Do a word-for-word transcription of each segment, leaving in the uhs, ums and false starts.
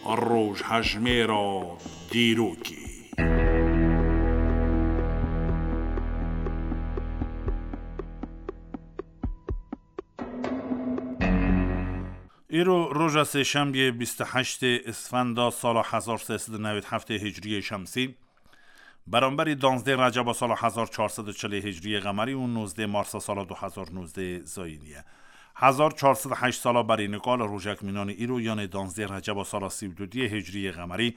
Rojhejmêra dîrokê. Îro roja sêşembiyê bîst û heştê Isfenda sala hezar sê sed û newêd heftê Hicriyê Şemsî, beramberî danzdê Receba sala hezar çar sed û çilê Hicriyê Qemerî û nozdê Marsa sala du hezar nozdê Zayînî ye. Hezar çar sed û heşt sala berî nika li rojek mînanî îro, yanê danzdê Receba sala sî û dudiyê Hicriyê Qemerî,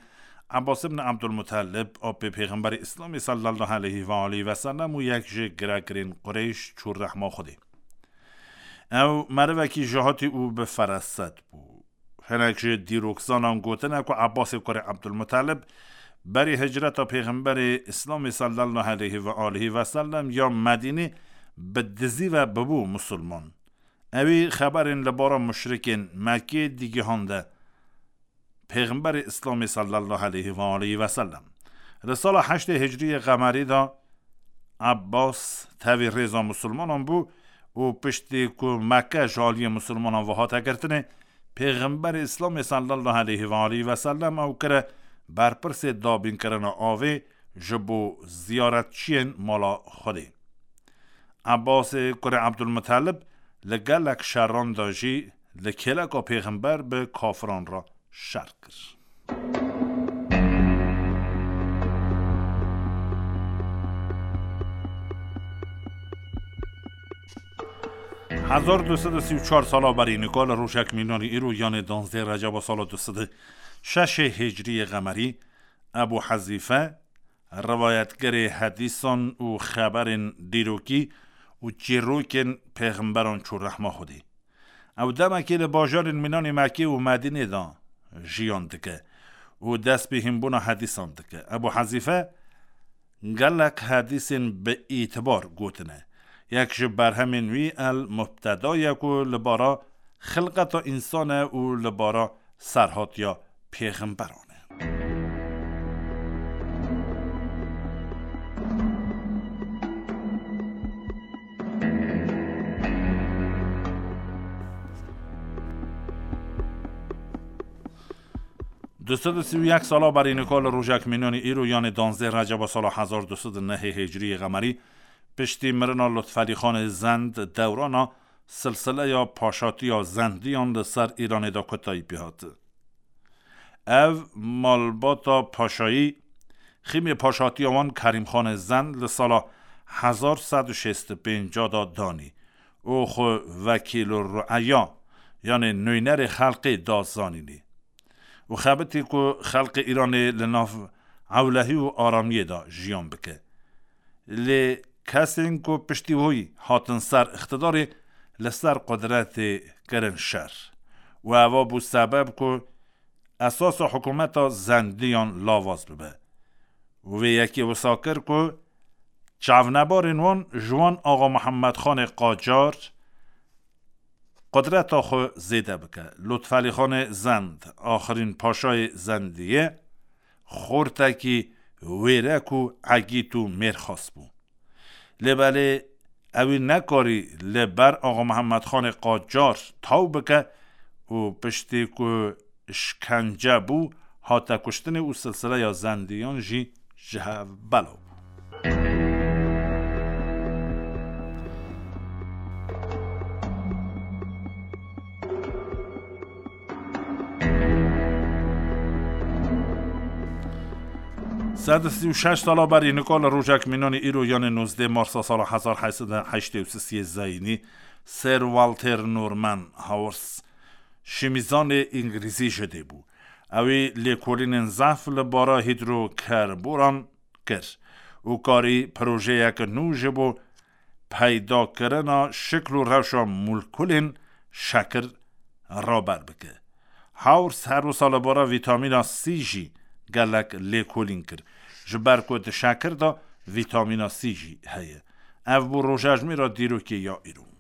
Ebbas ibn Ebdulmutelib, apê Pêxemberê Îslamê sallallahu aleyhi ve aleyhi ve sellem û yek ji giregirên Qureyş çû rehma Xwedê. Ew merivekî jihatî û bi ferasat bû. Hinek ji dîrokzanan gotine ku Ebbasê kurê Ebdulmutelib berî hicreta Pêxemberê Îslamê sallallahu aleyhi ve aleyhi ve sellem ya Medînê bi dizî ve bibû musulman. Ewî xeberên li bara muşrikên Mekkê digihande Pêxemberê Îslamê sallallahu aleyhi ve aleyhi ve sellem. Li sala heştê Hicriyê Qemerî de Ebbas tevî rêza musulmanan bû û piştî ku Mekke ji aliyê musulmanan ve hate girtinê, Pêxemberê Îslamê sallallahu aleyhi ve aleyhi ve sellem ew kire berpirsê dabînkirina avê ji bo ziyaretçiyên mala Xwedê. Ebbasê kurê Ebdulmutelib li gelek şeran de jî li kêleka Pêxember bi kafiran re şer kir. Hezar du sed û sî û çar sala berî nika li rojek mînanî îro, yanê danzdê Receba sala du sed û şeşê Hicriyê Qemerî, Ebû Hezîfe, rivayetgerê hedîsan û xeberên dîrokî û çîrokên pêxemberan çû rehma Xwedê. Ew demekê li bajarên mînanê Mekkê û Medînê de jiyan dike û dest bi hînbûna hedîsan dike. Ebû Hezîfe gelek hedîsên bi îtibar gotine. Yek ji berhemên wî El Mubteda ye ku li bara xilqeta însan e û li bara serhatiya pêxemberan e. Du sed û sî û yek sala berî nika li rojek mînanî îro, yanê danzdeh Receba sala hezar du sed û nehê Hicriyê Qemerî, piştî mirina Lutfelî Xanê Zend, dewrana silsileya paşatiya Zendiyan li ser Îranê de kotayî pê hat. Ev malbata paşayî, xîmê paşatiya wan Kerîm Xanê Zend li sala hezar sed û şêst û pênc da danî û xwe wekîl û rueya, yanê nûnerê xelkê da zanînê. Û xebitî ku xelkê Îranê li nav ewlehî û aramiyê de jiyan bike. Lê kesên ku piştî wî hatin ser îqtidarê, li ser qudretê kirin şer. Û eva bû sebeb ku esasa hikûmeta Zendiyan lawaz bibe. Û vê yekê wisa kir ku çavnebarên wan ji wan Axa Mihemed Xanê Qacar qudreta xwe zêde bike. Lutfelî Xanê Zend, axirîn paşayê Zendiyê, xortekî wêrek û egît û mêrxas bû. Lê belê ewî nekarî li ber Axa Mihemed Xanê Qacar taw bike û piştî ku şkence bû, hate kuştinê û silsileya Zendiyan jî ji hev belav bû. Sed û sî û şeş sala berî nika li rojek mînanî îro, yanê nozdeh Marsa sala hezar heyt sed û heştê û sisiyê zayînî, Sir Walter Norman Howard, şîmîzanê îngilîzî ji dê bû. Ew ê lêkolînên zehf li bara hîdrokerboran kir û karî projeyeke nû ji bo peydakirina şikl û rewşa molekûlên şekir raber bike. Howard her wisa li bara vîtamîna C jî gelek lêkolîn kir, ji ber ku di şekir de vîtamîna C jî heye. Ev bû rojejmêra dîrokê ya îro.